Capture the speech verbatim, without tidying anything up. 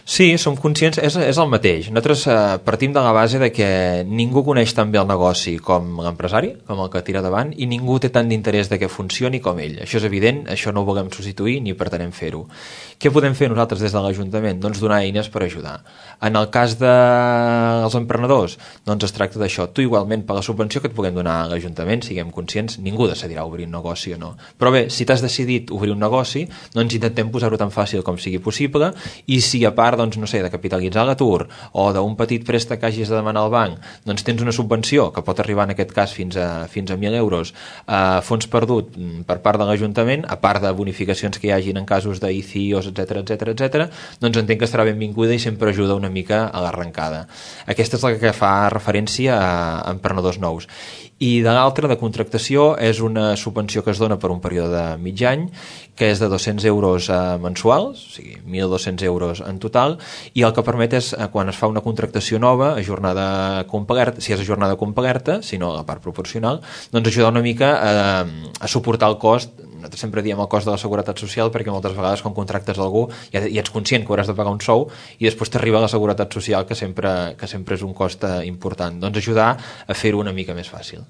Sí, som conscients, és, és el mateix. Nosaltres eh, partim de la base de que ningú coneix tan bé el negoci com l'empresari, com el que tira davant, i ningú té tant d'interès de que funcioni com ell. Això és evident, això no ho volem substituir ni pretenem fer-ho. Què podem fer nosaltres des de l'Ajuntament? Doncs donar eines per ajudar. En el cas dels emprenedors, doncs es tracta d'això. Tu igualment, per la subvenció que et puguem donar a l'Ajuntament, siguem conscients, ningú decidirà obrir un negoci o no. Però bé, si t'has decidit obrir un negoci, doncs intentem posar-ho tan fàcil com sigui possible, i si a part doncs, no sé, de capitalitzar l'atur o d'un petit préstec que hagis de demanar al banc, doncs tens una subvenció que pot arribar en aquest cas fins a, fins a mil euros a fons perdut per part de l'Ajuntament, a part de bonificacions que hi hagin en casos d'I C I Os, etcètera, etcètera, etcètera, doncs entenc que estarà benvinguda i sempre ajuda una mica a l'arrencada. Aquesta és la que fa referència a emprenedors nous. I de l'altra, de contractació, és una subvenció que es dona per un període de mig any, que és de dos-cents euros eh, mensuals, o sigui, mil dos-cents euros en total, i el que permet és, eh, quan es fa una contractació nova, a jornada complerta, si és a jornada complerta, si no a la part proporcional, doncs ajudar una mica a, a suportar el cost. Nosaltres sempre diem el cost de la seguretat social, perquè moltes vegades quan contractes algú ja, ja ets conscient que hauràs de pagar un sou i després t'arriba la seguretat social, que sempre, que sempre és un cost important. Doncs ajudar a fer-ho una mica més fàcil.